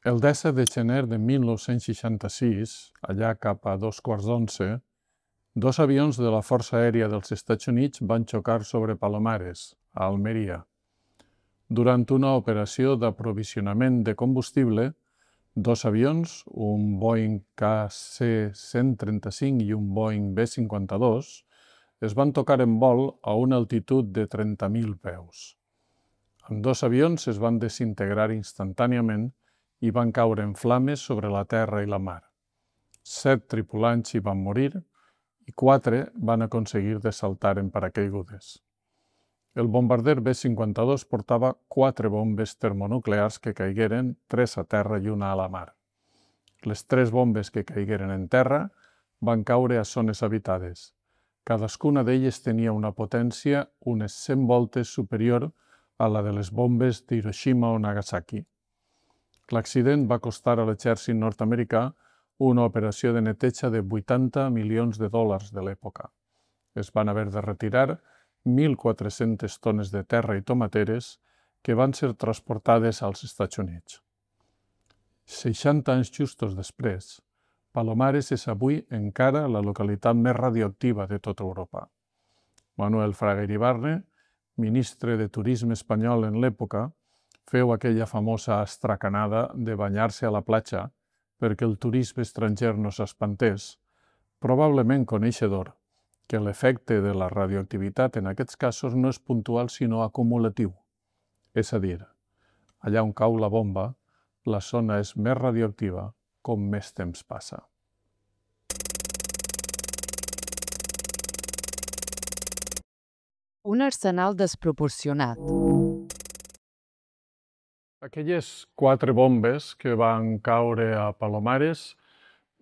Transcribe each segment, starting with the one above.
El 17 de gener de 1966, allà cap a 2:15, dos avions de la Força Aèria dels Estats Units van xocar sobre Palomares, a Almeria. Durant una operació d'aprovisionament de combustible, dos avions, un Boeing KC-135 i un Boeing B-52, es van tocar en vol a una altitud de 30.000 peus. Ambdós avions es van desintegrar instantàniament i van caure en flames sobre la terra i la mar. 7 tripulants hi van morir i 4 van aconseguir de saltar en paracaigudes. El bombarder B-52 portava 4 bombes termonuclears que caigueren, 3 a terra i una a la mar. Les 3 bombes que caigueren en terra van caure a zones habitades. Cadascuna d'elles tenia una potència unes 100 voltes superior a la de les bombes d'Hiroshima o Nagasaki. L'accident va costar a l'exèrcit nord-americà una operació de neteja de 80 milions de dòlars de l'època. Es van haver de retirar 1.400 tones de terra i tomateres que van ser transportades als Estats Units. 60 anys justos després, Palomares és avui encara la localitat més radioactiva de tota Europa. Manuel Fraga Iribarne, ministre de Turisme espanyol en l'època, feu aquella famosa astracanada de banyar-se a la platja perquè el turisme estranger no s'espantés, probablement coneixedor que l'efecte de la radioactivitat en aquests casos no és puntual sinó acumulatiu. És a dir, allà on cau la bomba, la zona és més radioactiva com més temps passa. Un arsenal desproporcionat. Aquelles 4 bombes que van caure a Palomares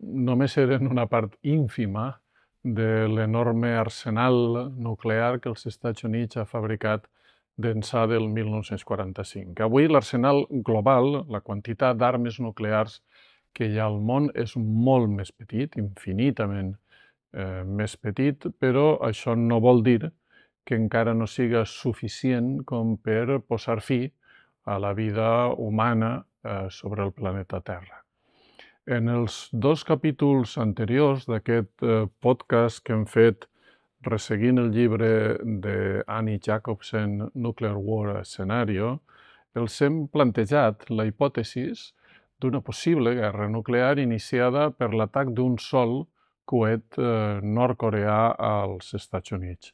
només eren una part ínfima de l'enorme arsenal nuclear que els Estats Units ha fabricat d'ençà del 1945. Avui l'arsenal global, la quantitat d'armes nuclears que hi ha al món és molt més petit, infinitament més petit, però això no vol dir que encara no siga suficient com per posar fi a la vida humana sobre el planeta Terra. En els 2 capítols anteriors d'aquest podcast que hem fet resseguint el llibre d'Annie Jacobsen, Nuclear War Scenario, els hem plantejat la hipòtesi d'una possible guerra nuclear iniciada per l'atac d'un sol coet nord-coreà als Estats Units.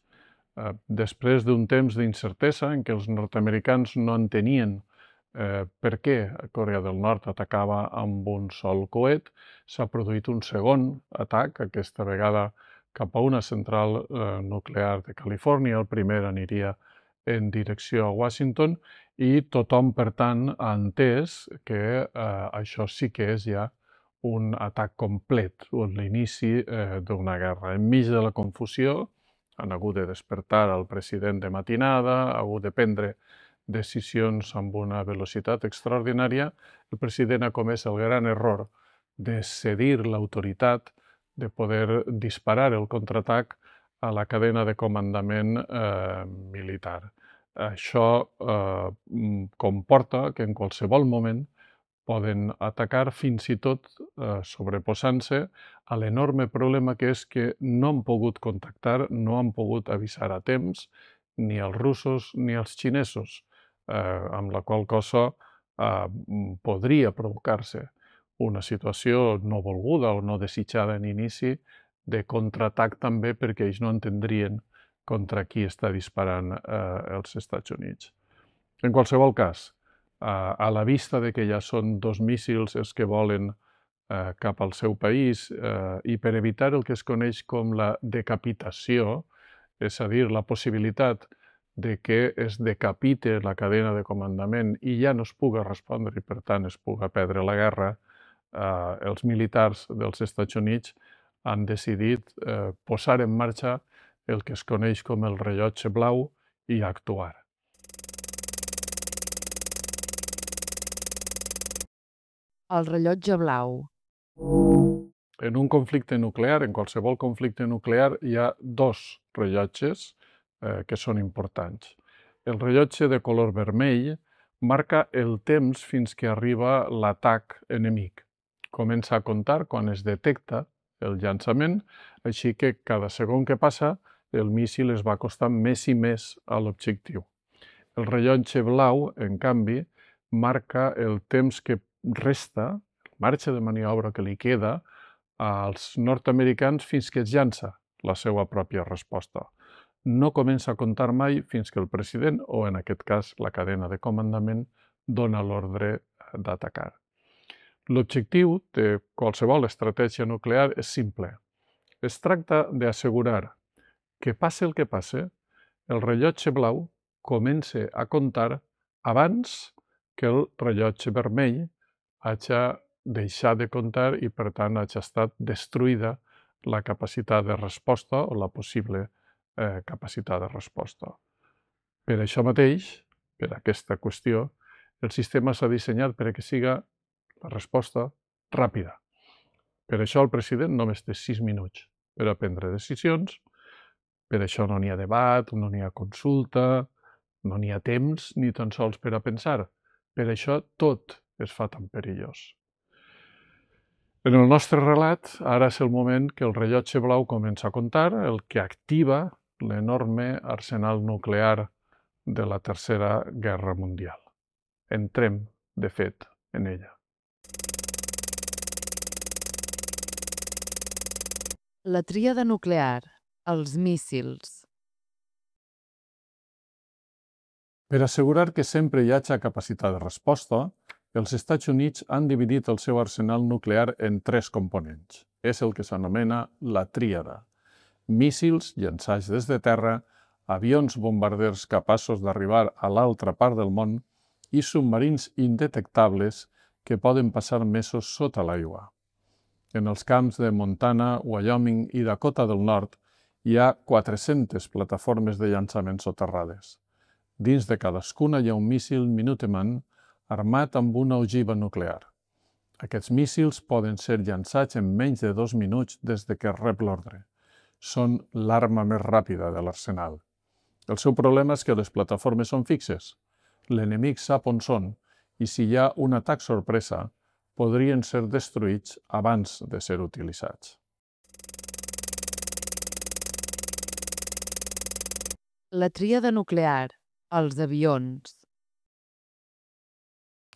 Després d'un temps d'incertesa en què els nord-americans no entenien per què Corea del Nord atacava amb un sol coet, s'ha produït un segon atac, aquesta vegada cap a una central nuclear de Califòrnia. El primer aniria en direcció a Washington i tothom, per tant, ha entès que això sí que és ja un atac complet, o l'inici d'una guerra. Enmig de la confusió, han hagut de despertar el president de matinada, ha hagut de prendre decisions amb una velocitat extraordinària, el president ha comès el gran error de cedir l'autoritat de poder disparar el contraatac a la cadena de comandament militar. Això comporta que en qualsevol moment poden atacar fins i tot sobreposant-se a l'enorme problema que és que no han pogut contactar, no han pogut avisar a temps ni els russos ni els xinesos, amb la qual cosa podria provocar-se una situació no volguda o no desitjada en inici de contraatac també perquè ells no entendrien contra qui està disparant els Estats Units. En qualsevol cas, a la vista de que ja són 2 míssils els que volen cap al seu país i per evitar el que es coneix com la decapitació, és a dir, la possibilitat de que es decapite la cadena de comandament i ja no es puga respondre i, per tant, es puga perdre la guerra, els militars dels Estats Units han decidit posar en marxa el que es coneix com el rellotge blau i actuar. El rellotge blau. En un conflicte nuclear, en qualsevol conflicte nuclear, hi ha 2 rellotges que són importants. El rellotge de color vermell marca el temps fins que arriba l'atac enemic. Comença a comptar quan es detecta el llançament, així que cada segon que passa el míssil es va acostant més i més a l'objectiu. El rellotge blau, en canvi, marca el temps que resta, el marge de maniobra que li queda als nord-americans fins que es llança la seva pròpia resposta. No comença a comptar mai fins que el president, o en aquest cas la cadena de comandament, dona l'ordre d'atacar. L'objectiu de qualsevol estratègia nuclear és simple. Es tracta d'assegurar que passe el que passe, el rellotge blau comença a comptar abans que el rellotge vermell hagi deixat de comptar i, per tant, hagi estat destruïda la capacitat de resposta o la possible capacitat de resposta. Per això mateix, per aquesta qüestió, el sistema s'ha dissenyat perquè siga la resposta ràpida. Per això el president només té 6 minuts per a prendre decisions, per això no n'hi ha debat, no n'hi ha consulta, no n'hi ha temps ni tan sols per a pensar. Per això tot es fa tan perillós. En el nostre relat, ara és el moment que el rellotge blau comença a comptar, el que activa l'enorme arsenal nuclear de la Tercera Guerra Mundial. Entrem, de fet, en ella. La tríada nuclear, els míssils. Per assegurar que sempre hi hagi capacitat de resposta, els Estats Units han dividit el seu arsenal nuclear en 3 components. És el que s'anomena la tríada. Míssils llançats des de terra, avions bombarders capaços d'arribar a l'altra part del món i submarins indetectables que poden passar mesos sota l'aigua. En els camps de Montana, Wyoming i Dakota del Nord hi ha 400 plataformes de llançament soterrades. Dins de cadascuna hi ha un míssil Minuteman armat amb una ogiva nuclear. Aquests míssils poden ser llançats en menys de 2 minuts des que rep l'ordre. Són l'arma més ràpida de l'arsenal. El seu problema és que les plataformes són fixes. L'enemic sap on són i si hi ha un atac sorpresa, podrien ser destruïts abans de ser utilitzats. La tríada nuclear, els avions.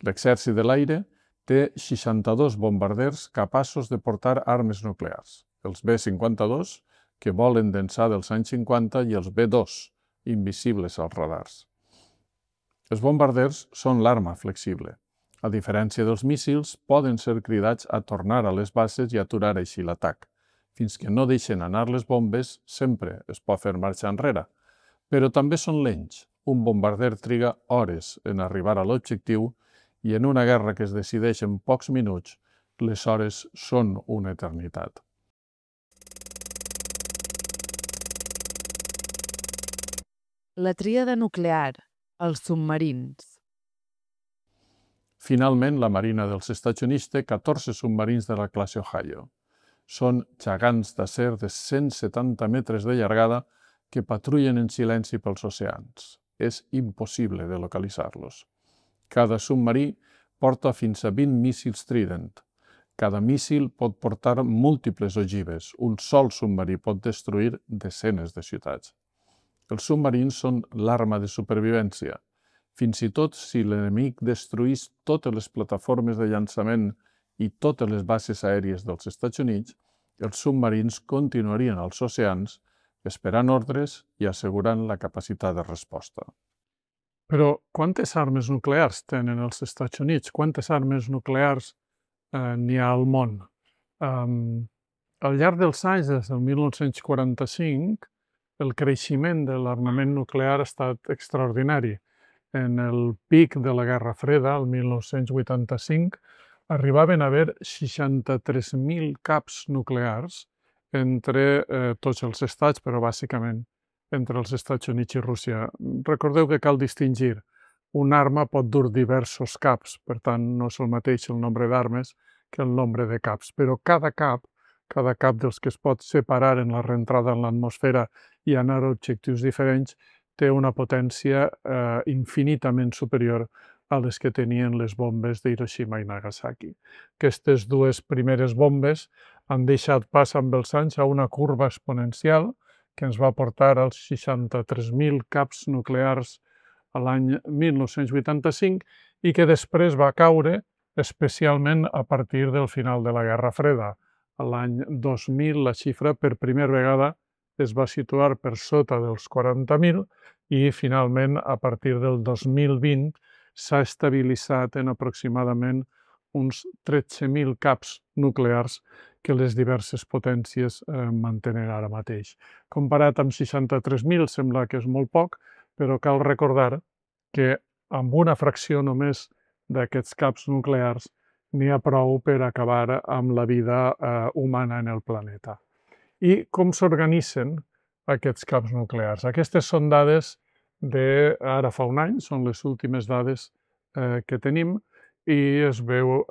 L'exèrcit de l'aire té 62 bombarders capaços de portar armes nuclears. Els B-52, que volen d'ençà dels anys 50, i els B-2, invisibles als radars. Els bombarders són l'arma flexible. A diferència dels míssils, poden ser cridats a tornar a les bases i aturar així l'atac. Fins que no deixen anar les bombes, sempre es pot fer marxa enrere. Però també són lents. Un bombarder triga hores en arribar a l'objectiu i en una guerra que es decideix en pocs minuts, les hores són una eternitat. La tríada nuclear, els submarins. Finalment, la Marina dels Estats Units té 14 submarins de la classe Ohio. Són gegants d'acer de 170 metres de llargada que patrullen en silenci pels oceans. És impossible de localitzar-los. Cada submarí porta fins a 20 míssils Trident. Cada míssil pot portar múltiples ogives. Un sol submarí pot destruir desenes de ciutats. Els submarins són l'arma de supervivència. Fins i tot si l'enemic destruís totes les plataformes de llançament i totes les bases aèries dels Estats Units, els submarins continuarien als oceans esperant ordres i assegurant la capacitat de resposta. Però quantes armes nuclears tenen els Estats Units? Quantes armes nuclears n'hi ha al món? Al llarg dels anys, des del 1945, el creixement de l'armament nuclear ha estat extraordinari. En el pic de la Guerra Freda, el 1985, arribaven a haver 63.000 caps nuclears entre tots els estats, però bàsicament entre els Estats Units i Rússia. Recordeu que cal distingir. Una arma pot dur diversos caps, per tant, no és el mateix el nombre d'armes que el nombre de caps, però cada cap dels que es pot separar en la reentrada en l'atmosfera i anar a objectius diferents, té una potència infinitament superior a les que tenien les bombes d'Hiroshima i Nagasaki. Aquestes dues primeres bombes han deixat pas amb els anys a una curva exponencial que ens va portar als 63.000 caps nuclears a l'any 1985 i que després va caure especialment a partir del final de la Guerra Freda. A l'any 2000 la xifra per primera vegada es va situar per sota dels 40.000 i finalment a partir del 2020 s'ha estabilitzat en aproximadament uns 13.000 caps nuclears que les diverses potències mantenen ara mateix. Comparat amb 63.000 sembla que és molt poc, però cal recordar que amb una fracció només d'aquests caps nuclears n'hi ha prou per acabar amb la vida humana en el planeta. I com s'organitzen aquests caps nuclears? Aquestes són dades d'ara fa un any, són les últimes dades que tenim, i es veu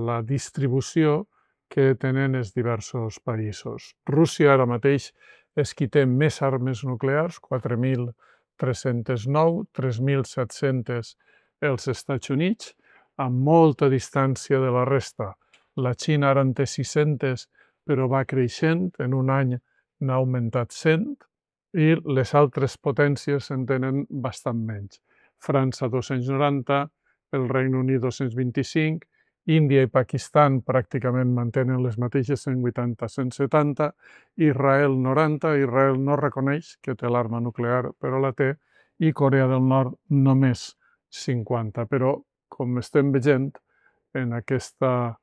la distribució que tenen els diversos països. Rússia ara mateix és qui té més armes nuclears, 4.309, 3.700 els Estats Units, amb molta distància de la resta. La Xina ara en té 600, però va creixent, en un any n'ha augmentat 100, i les altres potències en tenen bastant menys. França 290, el Regne Unit 225, Índia i Pakistan pràcticament mantenen les mateixes 180-170, Israel 90, Israel no reconeix que té l'arma nuclear, però la té, i Corea del Nord només 50. Però, com estem veient, en aquesta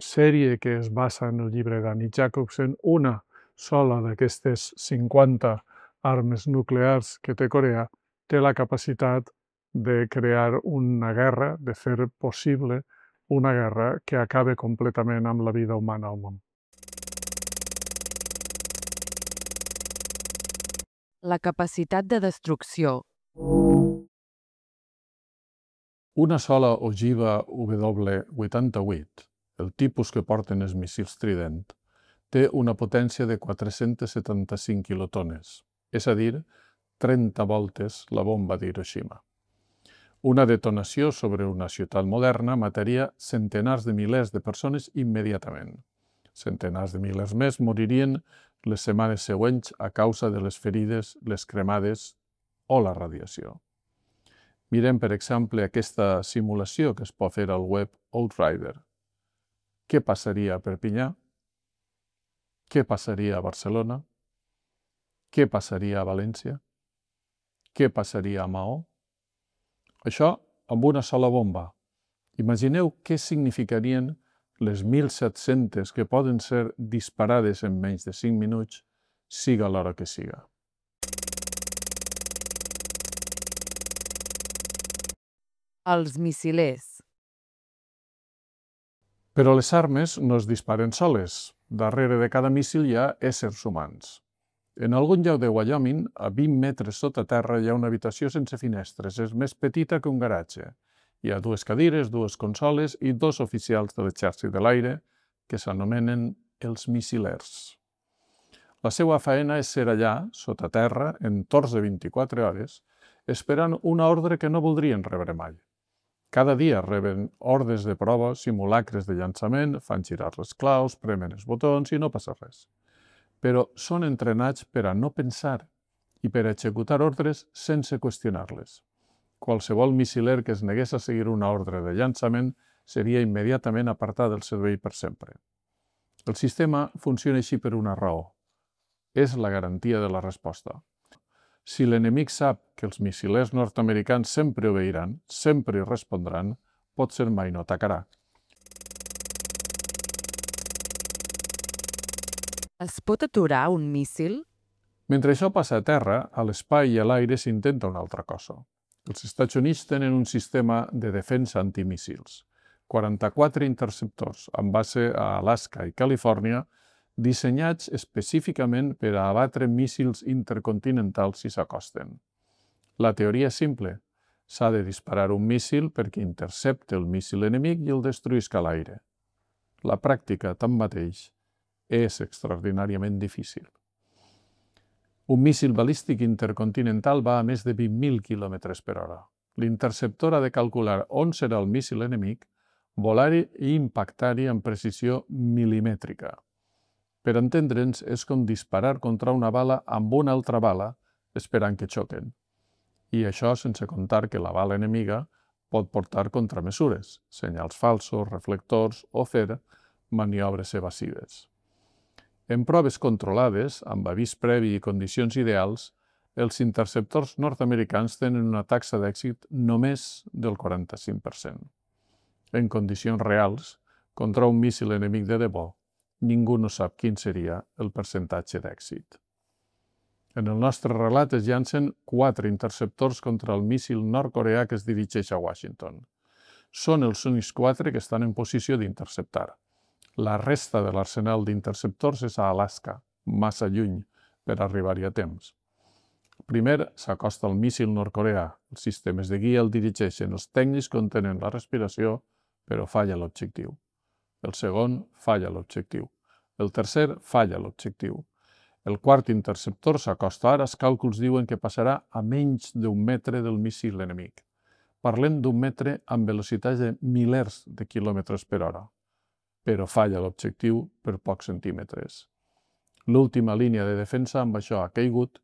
sèrie que es basa en el llibre d'Annie Jacobsen, una sola d'aquestes 50 armes nuclears que té Corea té la capacitat de crear una guerra, de fer possible una guerra que acabe completament amb la vida humana al món. La capacitat de destrucció. Una sola ogiva W88, el tipus que porten els míssils Trident, té una potència de 475 quilotones, és a dir, 30 voltes la bomba d'Hiroshima. Una detonació sobre una ciutat moderna mataria centenars de milers de persones immediatament. Centenars de milers més moririen les setmanes següents a causa de les ferides, les cremades o la radiació. Mirem, per exemple, aquesta simulació que es pot fer al web Outrider. Què passaria a Perpinyà? Què passaria a Barcelona? Què passaria a València? Què passaria a Maó? Això amb una sola bomba. Imagineu què significarien les 1.700 que poden ser disparades en menys de 5 minuts, siga l'hora que siga. Els missilers. Però les armes no es disparen soles. Darrere de cada míssil hi ha éssers humans. En algun lloc de Wyoming, a 20 metres sota terra, hi ha una habitació sense finestres. És més petita que un garatge. Hi ha 2 cadires, 2 consoles i 2 oficials de l'exèrcit de l'aire que s'anomenen els missilers. La seva feina és ser allà, sota terra, en torns de 24 hores, esperant una ordre que no voldrien rebre mai. Cada dia reben ordres de prova, simulacres de llançament, fan girar les claus, premen els botons i no passa res. Però són entrenats per a no pensar i per a executar ordres sense qüestionar-les. Qualsevol missiler que es negués a seguir una ordre de llançament seria immediatament apartat del servei per sempre. El sistema funciona així per una raó. És la garantia de la resposta. Si l'enemic sap que els missilers nord-americans sempre obeiran, sempre respondran, potser mai no atacarà. Es pot aturar un míssil? Mentre això passa a terra, a l'espai i a l'aire s'intenta una altra cosa. Els Estats Units tenen un sistema de defensa antimíssils. 44 interceptors amb base a Alaska i Califòrnia dissenyats específicament per a abatre míssils intercontinentals si s'acosten. La teoria és simple. S'ha de disparar un míssil perquè intercepte el míssil enemic i el destruïsca a l'aire. La pràctica, tanmateix, és extraordinàriament difícil. Un míssil balístic intercontinental va a més de 20.000 km per hora. L'interceptor ha de calcular on serà el míssil enemic, volar-hi i impactar-hi amb precisió milimètrica. Per entendre'ns, és com disparar contra una bala amb una altra bala esperant que xoquen. I això sense contar que la bala enemiga pot portar contramesures, senyals falsos, reflectors o fer maniobres evasives. En proves controlades, amb avís previ i condicions ideals, els interceptors nord-americans tenen una taxa d'èxit només del 45%. En condicions reals, contra un míssil enemic de debò, ningú no sap quin seria el percentatge d'èxit. En el nostre relat es llancen 4 interceptors contra el míssil nord-coreà que es dirigeix a Washington. Són els únics 4 que estan en posició d'interceptar. La resta de l'arsenal d'interceptors és a Alaska, massa lluny per arribar-hi a temps. Primer s'acosta al míssil nord-coreà. Els sistemes de guia el dirigeixen. Els tècnics contenen la respiració, però falla l'objectiu. El segon falla l'objectiu. El tercer falla l'objectiu. El quart interceptor s'acosta ara. Els càlculs diuen que passarà a menys d'1 metre del míssil enemic. Parlem d'1 metre amb velocitats de milers de quilòmetres per hora, però falla l'objectiu per pocs centímetres. L'última línia de defensa amb això ha caigut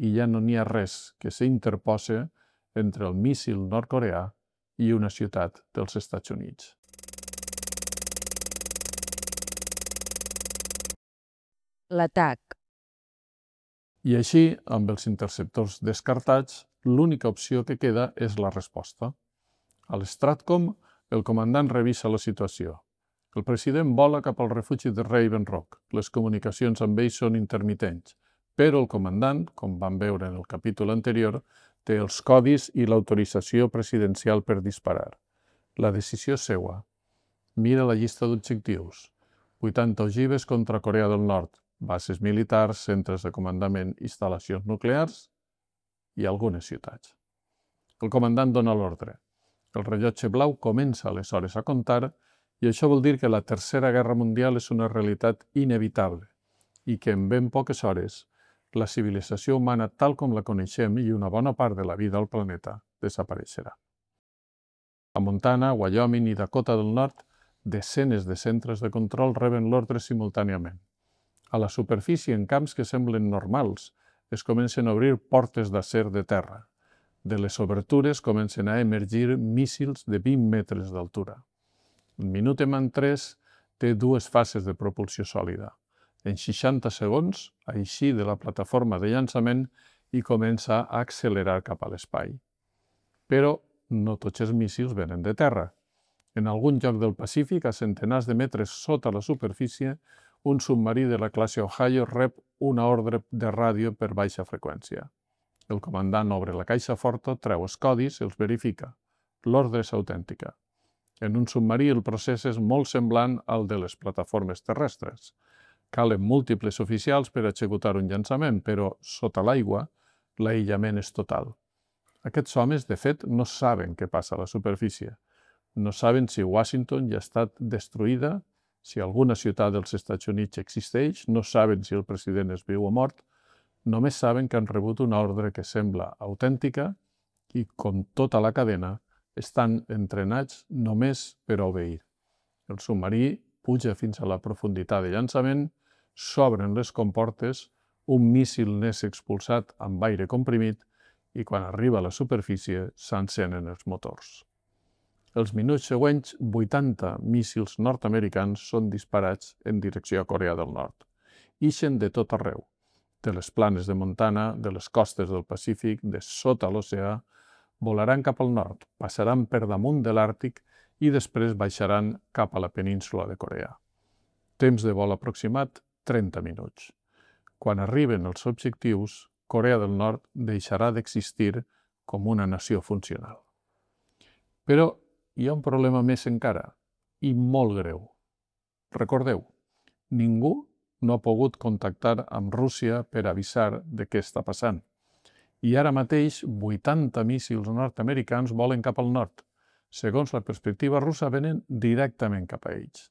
i ja no n'hi ha res que s'interposi entre el míssil nord-coreà i una ciutat dels Estats Units. L'atac. I així, amb els interceptors descartats, l'única opció que queda és la resposta. A l'Stratcom, el comandant revisa la situació. El president vola cap al refugi de Raven Rock. Les comunicacions amb ell són intermitents, però el comandant, com vam veure en el capítol anterior, té els codis i l'autorització presidencial per disparar. La decisió és seua. Mira la llista d'objectius. 80 ogives contra Corea del Nord, bases militars, centres de comandament, instal·lacions nuclears i algunes ciutats. El comandant dona l'ordre. El rellotge blau comença aleshores a comptar i això vol dir que la Tercera Guerra Mundial és una realitat inevitable i que en ben poques hores la civilització humana tal com la coneixem i una bona part de la vida al planeta desapareixerà. A Montana, Wyoming i Dakota del Nord, desenes de centres de control reben l'ordre simultàniament. A la superfície, en camps que semblen normals, es comencen a obrir portes d'acer de terra. De les obertures comencen a emergir míssils de 20 metres d'altura. El Minuteman III té 2 fases de propulsió sòlida. En 60 segons, eixir de la plataforma de llançament i comença a accelerar cap a l'espai. Però no tots els míssils venen de terra. En algun lloc del Pacífic, a centenars de metres sota la superfície, un submarí de la classe Ohio rep una ordre de ràdio per baixa freqüència. El comandant obre la caixa forta, treu els codis i els verifica. L'ordre és autèntica. En un submarí el procés és molt semblant al de les plataformes terrestres. Calen múltiples oficials per executar un llançament, però sota l'aigua l'aïllament és total. Aquests homes, de fet, no saben què passa a la superfície. No saben si Washington ja ha estat destruïda, si alguna ciutat dels Estats Units existeix, no saben si el president és viu o mort, només saben que han rebut una ordre que sembla autèntica i, com tota la cadena, estan entrenats només per obeir. El submarí puja fins a la profunditat de llançament, s'obren les comportes, un míssil n'és expulsat amb aire comprimit i quan arriba a la superfície s'encenen els motors. Els minuts següents, 80 míssils nord-americans són disparats en direcció a Corea del Nord. Ixen de tot arreu, de les planes de Montana, de les costes del Pacífic, de sota l'oceà, volaran cap al nord, passaran per damunt de l'Àrtic i després baixaran cap a la península de Corea. Temps de vol aproximat, 30 minuts. Quan arriben els objectius, Corea del Nord deixarà d'existir com una nació funcional. Però hi ha un problema més encara, i molt greu. Recordeu, ningú no ha pogut contactar amb Rússia per avisar de què està passant. I ara mateix 80 míssils nord-americans volen cap al nord. Segons la perspectiva russa, venen directament cap a ells.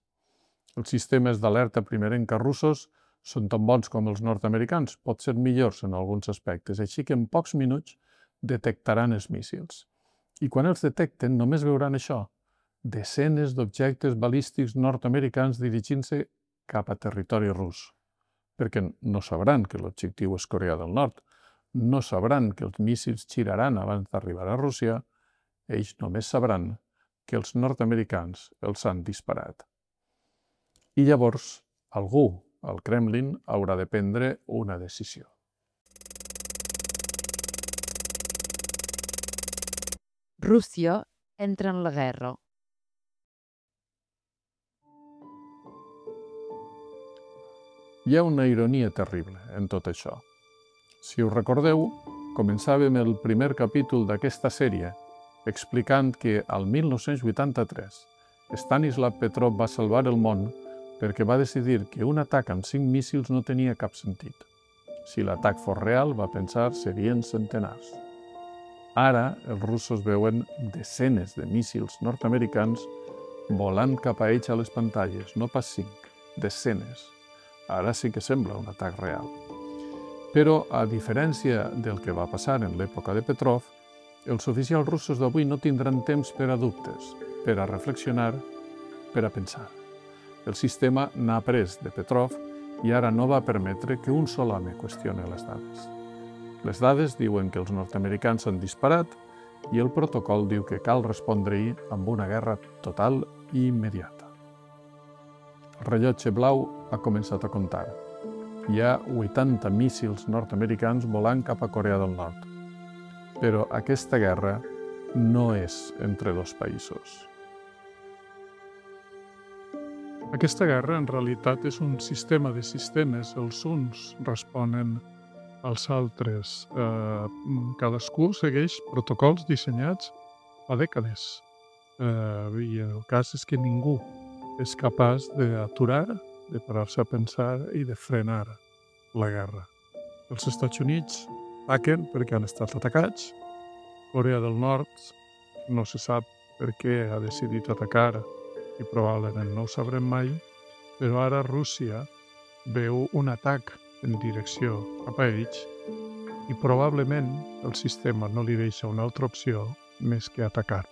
Els sistemes d'alerta primerenca russos són tan bons com els nord-americans, pot ser millors en alguns aspectes, així que en pocs minuts detectaran els míssils. I quan els detecten només veuran això, desenes d'objectes balístics nord-americans dirigint-se cap a territori rus, perquè no sabran que l'objectiu és Corea del Nord, no sabran que els míssils giraran abans d'arribar a Rússia, ells només sabran que els nord-americans els han disparat. I llavors algú al Kremlin haurà de prendre una decisió. Rússia entra en la guerra. Hi ha una ironia terrible en tot això. Si us recordeu, començàvem el primer capítol d'aquesta sèrie explicant que al 1983 Stanislav Petrov va salvar el món perquè va decidir que un atac amb 5 míssils no tenia cap sentit. Si l'atac fos real, va pensar, serien centenars. Ara, els russos veuen desenes de míssils nord-americans volant cap a ells a les pantalles, no pas 5, desenes. Ara sí que sembla un atac real. Però, a diferència del que va passar en l'època de Petrov, els oficials russos d'avui no tindran temps per a dubtes, per a reflexionar, per a pensar. El sistema n'ha après de Petrov i ara no va permetre que un sol home qüestioni les dades. Les dades diuen que els nord-americans han disparat i el protocol diu que cal respondre-hi amb una guerra total i immediata. El rellotge blau ha començat a comptar. Hi ha 80 míssils nord-americans volant cap a Corea del Nord. Però aquesta guerra no és entre dos països. Aquesta guerra en realitat és un sistema de sistemes. Els uns responen als altres. Cadascú segueix protocols dissenyats fa dècades. I el cas és que ningú és capaç d'aturar, de parar-se a pensar i de frenar la guerra. Els Estats Units ataquen perquè han estat atacats. Corea del Nord no se sap per què ha decidit atacar i probablement no ho sabrem mai, però ara Rússia veu un atac en direcció cap a ells i probablement el sistema no li deixa una altra opció més que atacar.